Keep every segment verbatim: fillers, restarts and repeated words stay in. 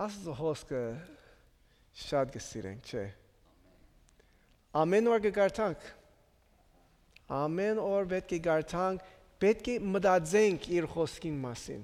Աստուծոյ հոսքը շատ կը սիրենք, չէ՞։ Ամէն օր կը կարդանք։ Ամէն օր պէտք է կարդանք, պէտք է մտածենք իր հոսքին մասին։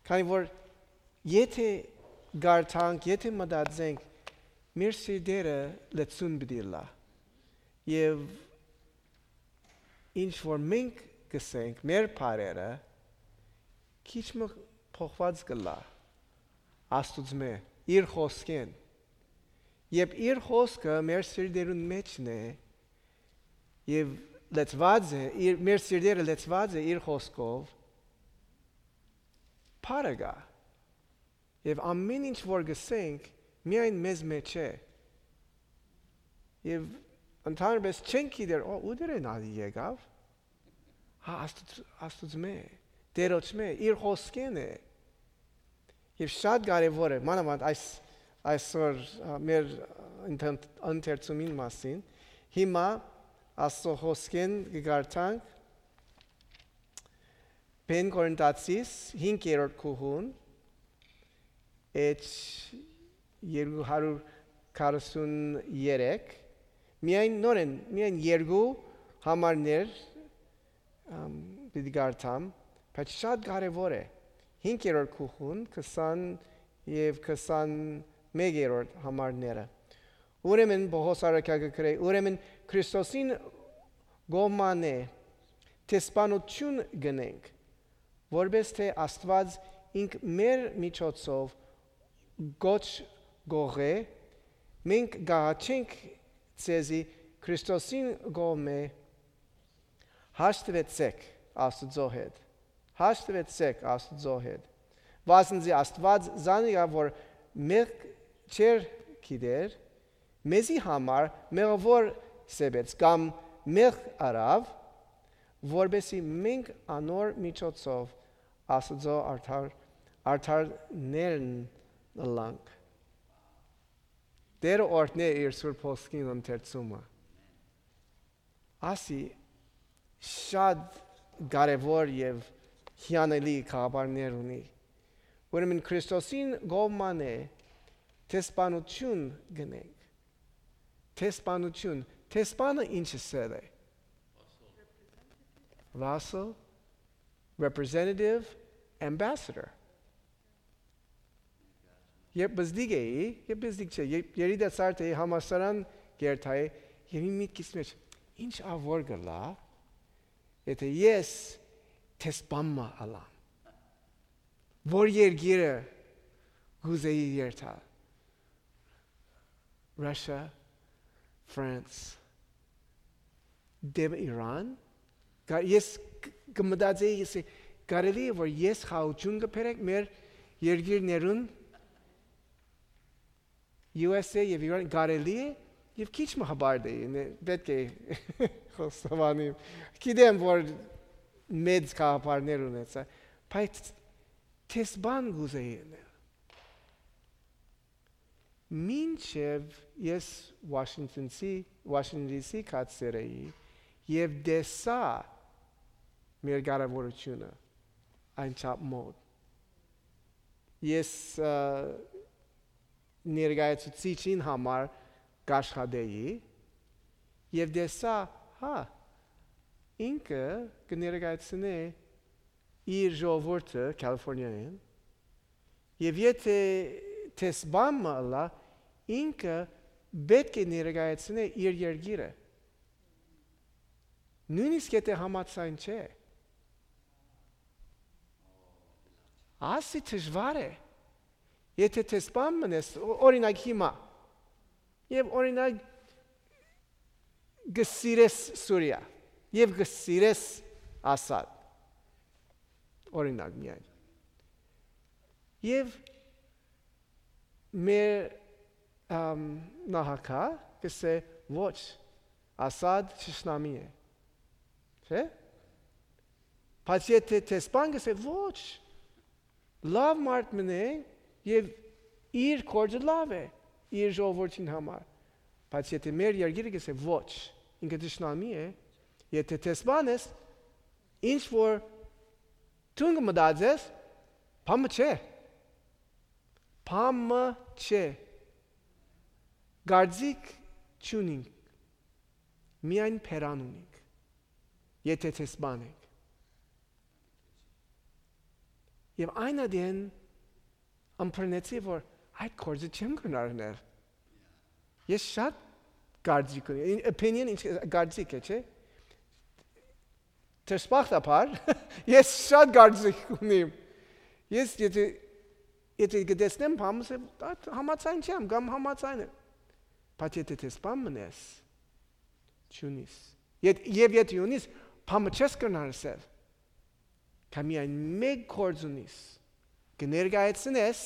Քանի որ եթէ կարդանք, եթէ մտածենք, մեր սիրտերը լեցուն պիտի ըլլայ։ Եւ ինչ որ մենք կ'ըսենք, մեր բառերը քիչ մը փոխուած կ'ըլլայ Աստուծմէ, իր խօսքէն։ Երբ իր խօսքը մեր սիրտերուն մէջն է եւ լեցուած է, իր, մեր սիրտերը լեցուած է իր խօսքով, փառը կայ։ Եւ ամէն ինչ որ կ'ըսենք, միայն մեզմէ չէ։ Եւ ընդհանրապես չենք գիտեր, «Ո, ո՞ւտեր են ատի եկաւ»։ Հա, Աստուծ-, Աստուծմէ, Տէրոջմէ, իր խօսքէն է։ Եւ շատ կարեւոր է, մանաւանդ այս, այսօր, ա, մեր ընթ-, ընթերցումին մասին, հիմա Աստուծոյ խօսքէն կը կարդանք Բնկորինթացիս հինգերորդ գլխուն, էջ երկու հարյուր քառասուն երեք, միայն նորեն, միայն երկու համարներ, ամ, պիտի կարդամ, բայց շատ կարեւոր է։ Հինգերորդ գլխուն, քսան եւ քսանմեկերորդ համարները։ Ուրեմն Պողոս առաքյալ կը գրէ, ուրեմն Քրիստոսին կողմէ դեսպանութիւն կ'ընենք, որպէս թէ Աստուած ինք մեր միջոցով կոչ կ'ուղղէ, մենք կ'աղաչենք ձեզի Քրիստոսին կողմէ. հաշտուեցէք Աստուծոյ հետ, հաշտուեցէք Աստուծոյ հետ, վասն զի Աստուած զանիկա որ մեղք չէր գիտեր, մեզի համար մեղաւոր սեպեց կամ մեղք առաւ, որպէս զի մենք անոր միջոցով Աստուծոյ արդար, արդարներն ըլլանք։ Տէրը օրհնէ իր Սուրբ Հոսքին ընթերցումը։ Ասի շատ կարեւոր եւ հիանալի գաղափարներ ունի։ Ուրեմն Քրիստոսին կողմէ դեսպանութիւն կ'ընենք։ Դեսպանութիւն, դեսպանը ի՞նչ ըսել է։ Vassal, representative, ambassador։ Երբ պզտիկ էի, երբ պզտիկ չէ, երբ երիտասարդ էի, համալսարան կ'երթայի, եւ իմ միտքիս մէջ, ինչ ա որ կ'ըլլայ, եթէ ես դեսպան մը ըլլամ, որ երկիրը կ'ուզէի երթալ, Russia, France, դէմ Իրան, կա-, ես կ-, կը մտածեի, ես, կարելի է որ ես խաղաղութիւն կը բերեմ մեր երկիրներուն, U S A եւ Իրան, կարելի է, եւ քիչ մը հպարտ էի, նե-, պէտք է խոստովանեմ։ Գիտեմ որ մեծ գաղափարներ ունեցայ, բայց դեսպան կ'ուզէի ըլլալ։ Մինչեւ ես Washington D C, Washington D C գացեր էի եւ տեսայ մեր կառավարութիւնը անչափ մոտ։ Ես, ը, ներկայացուցիչին համար կ'աշխատէի եւ տեսայ, հա, ինքը կը ներկայացնէ իր ժողովուրդը Քալիֆորնիայէն, եւ եթէ դեսպան մը ըլլայ, ինքը պէտք է ներկայացնէ իր երկիրը, նոյնիսկ եթէ համաձայն չէ։ Ասի դժուար է։ Եթէ դեսպան մըն ես, օ-, օրինակ հիմա, եւ օրինակ կը սիրես Սուրիա, եւ կը սիրես Ասադ, օրինակ միայն, եւ մեր, ամ, նահագա կ'ըսէ, «Ոչ, Ասադ թշնամի է», չէ՞։ Բայց եթէ դեսպան կ'ըսէ, «Ոչ, լաւ մարդ մըն է եւ իր գործը լաւ է իր ժողովուրդին համար», բայց եթէ մեր երկիրը կ'ըսէ, «Ոչ, ինքը թշնամի է», եթէ դեսպան ես, ինչ որ դուն կը մտածես, Բան մը չէ։ Բան մը չէ։ Կարծիք չունինք, միայն բերան ունինք, եթէ դեսպան ենք։ Եւ այն ատեն ըմբռնեցի, որ այդ գործը չեմ կրնար ընել։ Ես շատ կարծիք ունի, opinion ինչ կարծիք է, չէ՞։ Դժբախտաբար, ես շատ կարծիք ունիմ։ Ես եթե, եթե կտեսնեմ բան, ասեմ, «Ա, համաձայն չեմ», կամ «Համաձայն եմ»։ Բայց եթե դեսպան մնես, չունիս։ Եթ-, եւ եթե ունիս, բան մը չես կրնար ասել։ Քա միայն մէկ գործ ունիս, կը ներկայացնես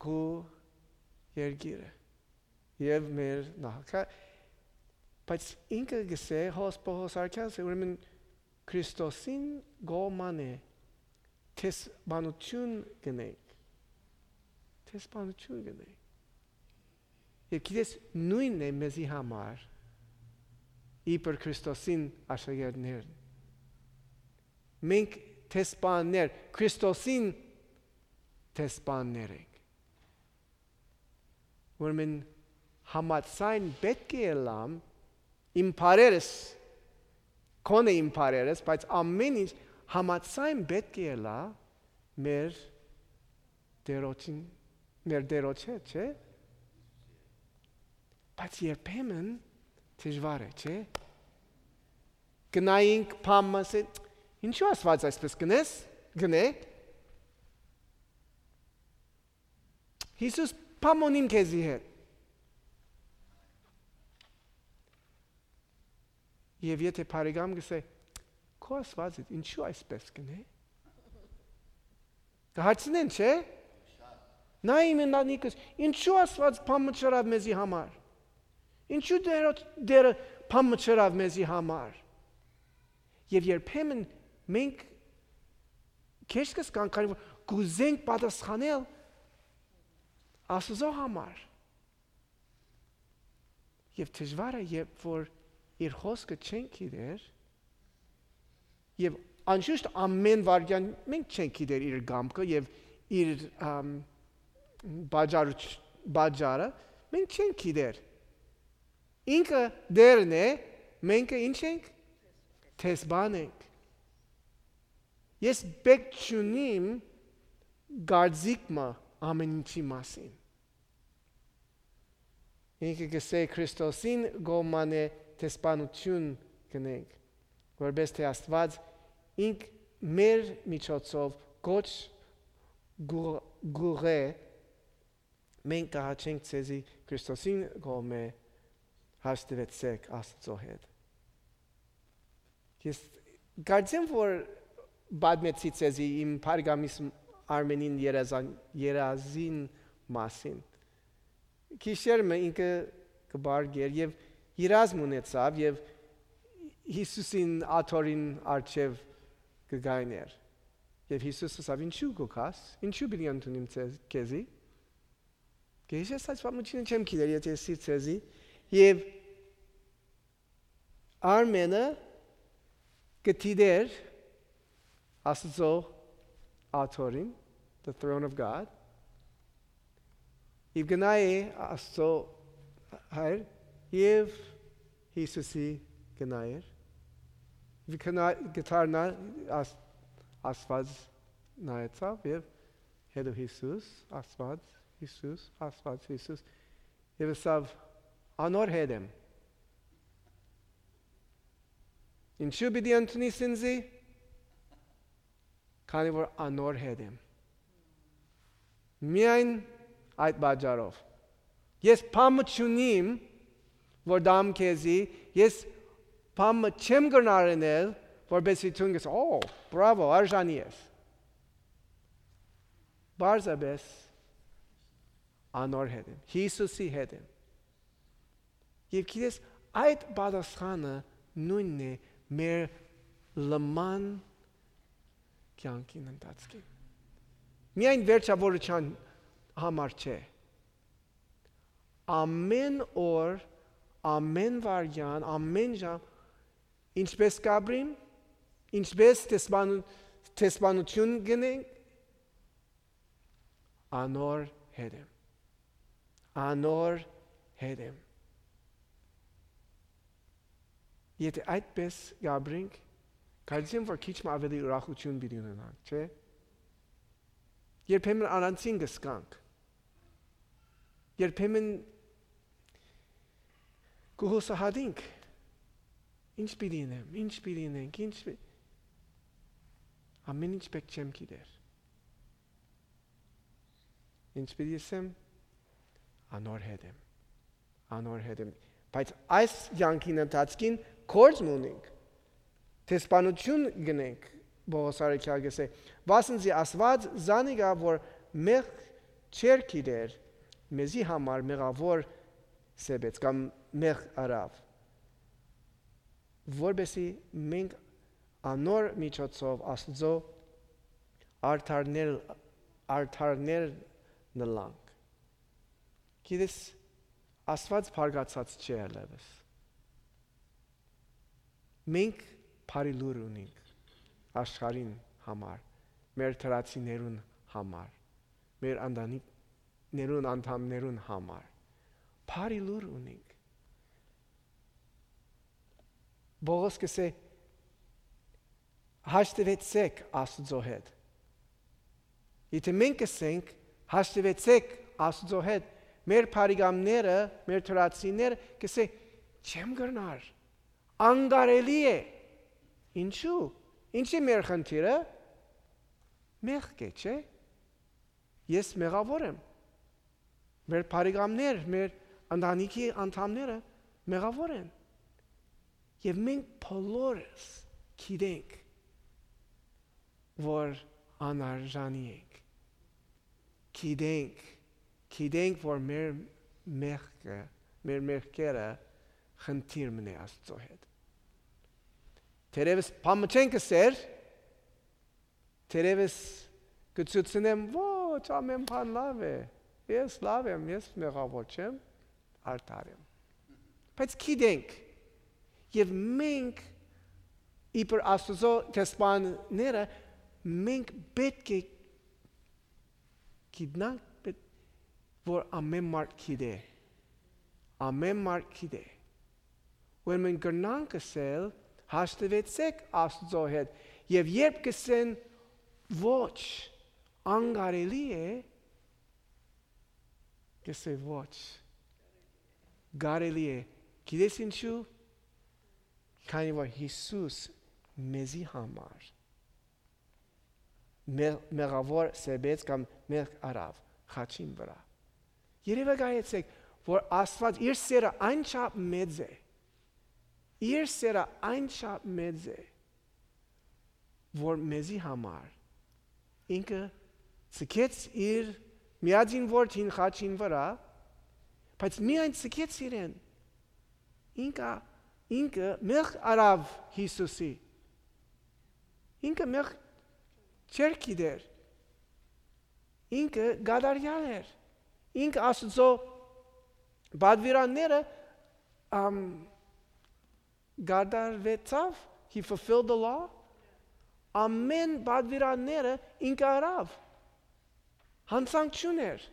քու երկիրը եւ մեր նախագահ, բայց ինքը կսէ, հոս Պողոս Արքայանը, ուրեմն Քրիստոսին կողմանը դեսպանութիւն կ'ընենք, դեսպանութիւն կ'ընենք։ Եւ գիտես, նոյնն է մեզի համար, իբր Քրիստոսին աշակերտներն։ Մենք դեսպաններ, Քրիստոսին դեսպաններ ենք։ Ուրեմն համաձայն պէտք է ըլլամ, իմ բարերս, քոնը իմ բարերս, բայց ամէն ինչ համաձայն պէտք է ըլլայ մեր Տէրոջին, մեր Տէրոջ հետ, չէ՞։ Բայց երբեմն դժուար է, չէ՞։ Կնայինք բան մը, ասենք, «Ինչու Աստուած այսպես կ'ընես, կ'ընէ»։ Յիսուս բան մը ունի քեզի հետ։ Եւ եթէ բարեկամ կ'ըսէ, «Քո Աստուածը ինչու այսպես կ'ընէ»։ Կը հարցնեն, չէ՞։ Նա իմ ընտանիքս, ինչու Աստուած բան մը չըրաւ մեզի համար։ Ինչու Տերը, Տերը բան մը չըրաւ մեզի համար։ Եւ երբեմն մենք քեշ կ'անք, քանի որ կ'ուզենք պատասխանել Աստուծոյ համար։ Եւ դժուար է, երբ որ իր խօսքը չենք գիտեր, եւ անշուշտ ամէն վայրկեան մենք չենք գիտեր իր կամքը եւ իր, ամ, բաճարուչ-, բաճարը, մենք չենք գիտեր։ Ինքը Տերն է, մենք ինչ ենք, դեսպան ենք։ Ես պէտք չունիմ կարծիք մը ամէն ինչի մասին։ Ինքը կ'ըսէ, Քրիստոսին կողմանը դեսպանութիւն կ'ընենք, որպէս թէ Աստուած ինք մեր միջոցով կոչ կ'ու-, կ'ուղղէ, մենք կը հաչենք ձեզի Քրիստոսին կողմէ, հաշտուեցէք Աստուծոյ հետ։ Ես կարծեմ, որ պատմեցի ձեզի իմ բարեկամիս Արմենին երազան-, երազին մասին։ Գիշեր մը ինքը կը պառկէր եւ երազմ ունեցաւ եւ Յիսուսին աթոռին առջեւ կը գայներ։ Եւ Յիսուս ըսաւ, «Ինչու կու գաս, ինչու պիտի ընդունիմ ձեզ, քեզի»։ Կը հիշես այս պատմութիւնը, չեմ գիտեր, եթէ ըսի ձեզի։ Եւ Արմենը կը դիտէր Աստուծոյ աթոռին, the throne of God, եւ կը նայէ Աստուծոյ հայր եւ Յիսուսի կը նայէր, եւ կը նայ-, կը դառնայ Աս-, Աստուած նայեցաւ եւ հետո Յիսուս, Աստուած, Յիսուս, Աստուած, Յիսուս, եւ ըսաւ, «Անոր հետ եմ»։ Ինչու պիտի ընդունիս ինձի, քանի որ անոր հետ եմ։ Միայն այդ պատճառով։ Ես բան մը չունիմ, որ տամ քեզի, ես բան մը չեմ կրնար ընել, որպեսզի դուն կ'աս, «Օ, բրավո, արժանի ես»։ Պարզապէս անոր հետ եմ, Յիսուսի հետ եմ։ Եւ գիտես, այդ պատասխանը նոյնն է մեր լման կեանքին ընթացքին։ Միայն վերջավորության համար չէ։ Ամէն օր, ամէն վայրկեան, ամէն ժամ, ինչպես կ'ապրիմ, ինչպես դեսպան-, դեսպանութիւն կ'ընենք, անոր հետ եմ։ Անոր հետ եմ։ Եթէ այդպես կ'ապրենք, կարծեմ, որ քիչ մը աւելի ուրախութիւն պիտի ունենանք, չէ՞։ Երբեմն առանձին կը զգանք։ Երբեմն կը յուսահատենք. «Ի՞նչ պիտի ընեմ, ի՞նչ պիտի ընենք, ի՞նչ պի-»։ Ամեն ինչ պէտք չեմ գիտեր։ Ի՞նչ պիտի ըսեմ, անոր հետ եմ, անոր հետ եմ։ Բայց այս կեանքին ընթացքին գործ մը ունենք, դեսպանութիւն կ'ընենք, Պողոս առաքեալ կ'ըսէ. «Վասն զի Աստուած զանիկա, որ մեղք չէր գիտեր, մեզի համար մեղաւոր սեպեց կամ մեղք առաւ, որպեսզի մենք անոր միջոցով Աստուծոյ արդարներ, արդարներ նլանք»։ Գիտես, Աստուած բարկացած չէ այլեւս։ Մենք բարի լուր ունենք աշխարհին համար, մեր դրացիներուն համար, մեր ընտանիքներուն անդամներուն համար։ Բարի լուր ունենք։ Պողոս կ'ըսէ. «Հաշտուեցէք Աստուծոյ հետ»։ Եթէ մենք կ'ըսենք. «Հաշտուեցէք Աստուծոյ հետ», մեր բարեկամները, մեր դրացիները կ'ըսեն. «Չեմ կրնար, անկարելի է»։ Ինչու՞։ Ի՞նչ է մեր խնդիրը։ Մեղք է, չէ՞։ Ես մեղաւոր եմ։ Մեր բարեկամներ, մեր ընտանիքի անդամները մեղաւոր են։ Եւ մենք բոլորս գիտենք, որ անարժանի ենք։ Գիտենք, գիտենք, որ մեր մեղքը, մեր մեղքերը խնդիր մը է Աստուծոյ հետ։ Թերեւս բան մը չենք ըսեր, թերեւս կը ցուցնեմ, ոչ, ամեն բան լաւ է, ես լաւ եմ, ես մեղաւոր չեմ, արդար եմ։ Բայց գիտենք, եւ մենք, իբր Աստուծոյ դեսպանները, մենք պէտք է գիտնանք, պէտ-, որ ամեն մարդ գիտէ, ամեն մարդ գիտէ, որ մենք կրնանք ըսել. «Հաշտուեցէք Աստուծոյ հետ», եւ երբ կ'ըսեն. «Ոչ, անկարելի է», կ'ըսէ. «Ոչ, կարելի է»։ Գիտես ինչու։ Քանի որ Յիսուս մեզի համար մեղ-, մեղաւոր սեպեց կամ մեղք առաւ խաչին վրայ։ Երեւակայեցէք, որ Աստուած իր սերը այնչափ մեծ է, իր սերը այնչափ մեծ է, որ մեզի համար ինքը ցկեց իր միածին որդին խաչին վրայ, բայց միայն ցկեց իրեն։ Ինքը, ինքը մեղք առաւ Յիսուսի։ Ինքը մեղք չէր գիտեր։ Ինքը կատարեալ էր։ Ինքը Աստուծոյ պատուիրանները, ամ, կատարուեցաւ, he fulfilled the law. Ամեն պատուիրանները ինքը առաւ։ Յանցանք չունէր։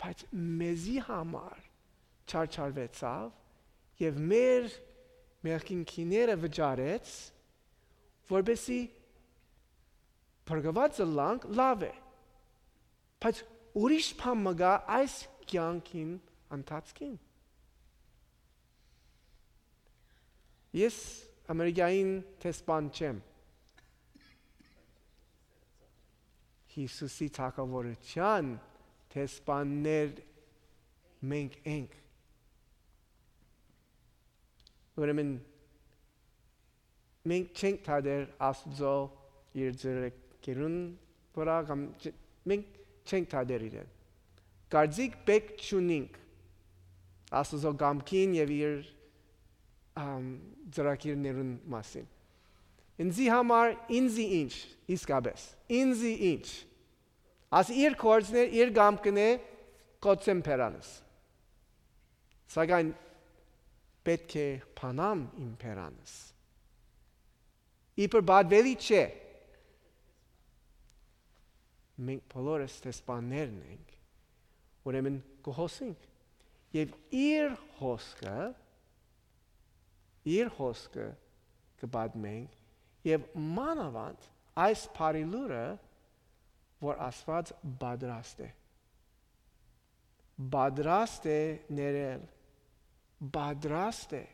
Բայց մեզի համար չարչարուեցաւ եւ մեր մեղքին գիները վճարեց, որպեսզի փրկուածը լանք լաւ է։ Բայց ուրիշ բան մը կայ այս կեանքին ընթացքին։ Ես Ամերիկային դեսպան չեմ։ Յիսուսի թագաւորութեան դեսպաններ մենք ենք։ Ուրեմն մենք չենք դադեր Աստուծոյ իր ձեռքերուն վրայ կամ չ-, մենք չենք դադեր իրեն։ Կարծիք պէտք չունինք Աստուծոյ կամքին եւ իր, ամ, ծրագիրներուն մասին։ Ինձի համար, ինձի ինչ, իսկապես, ինձի ինչ։ Ասի իր գործն է, իր կամքն է, կ'օծեմ բերանս։ Սակայն պէտք է բանամ իմ բերանս։ Իբր պատուելի չէ։ Մենք բոլորս դեսպաններն ենք, ուրեմն կը հոսենք։ Եւ իր հոսքը, իր հոսքը կը պատմենք, եւ մանաւանդ այս բարի լուրը, որ Աստուած պատրաստ է։ Պատրաստ է ներել, պատրաստ է։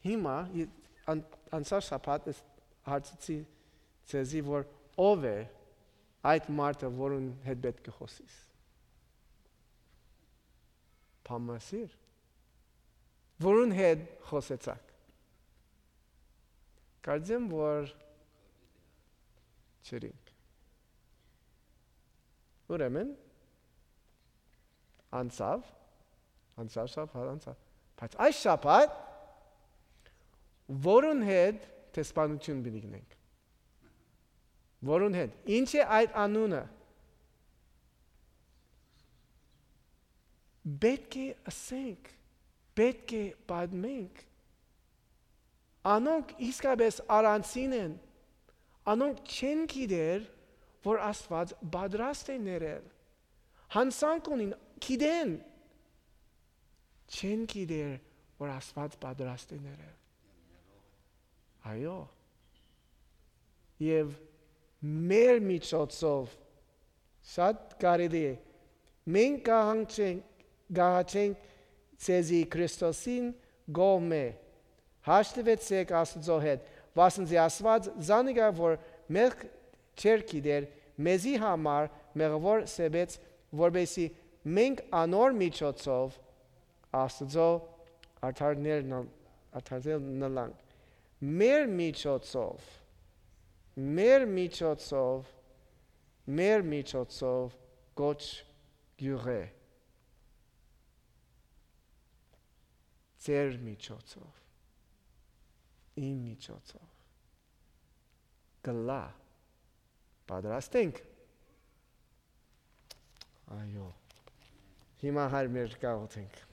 Հիմա, ի-, ան-, անցյալ շաբաթ ես հարցուցի ձեզի, որ ով է այդ մարդը, որուն հետ պէտք է խօսիս։ Բամասիր, որուն հետ խօսեցաք։ Կարծեմ, որ չերինք։ Ուրեմն, անցաւ, անցյալ շաբաթ անցաւ, բայց այս շաբաթ, որուն հետ դեսպանութիւն պիտի գնենք։ Որուն հետ։ Ինչ է այդ անունը։ Պէտք է ըսենք, պէտք է պատմենք։ Անոնք իսկապես առանձին են։ Անոնք չեն գիտեր, որ Աստուած պատրաստ է ներել։ Յանցանք ունին, գիտեն, չեն գիտեր, որ Աստուած պատրաստ է ներել։ Այո։ Եւ մեր միջոցով շատ կարելի է։ Մենք կհանջենք, կհաչենք ձեզի Քրիստոսին կողմէ։ Հաշտուեցեք Աստուծոյ հետ, վասն զի Աստուած զանիկա, որ մեղք չէր գիտեր, մեզի համար մեղավոր սեպեց, որպեսզի մենք անոր միջոցով Աստուծոյ արդարներն, արդարներն ըլլանք։ Մեր միջոցով, մեր միջոցով, մեր միջոցով կոչ գիւղ է։ Ձեր միջոցով, իմ միջոցով, կլա։ Պատրաստ ենք։ Այո։ Հիմա, Հայր մեր, կաղոթենք։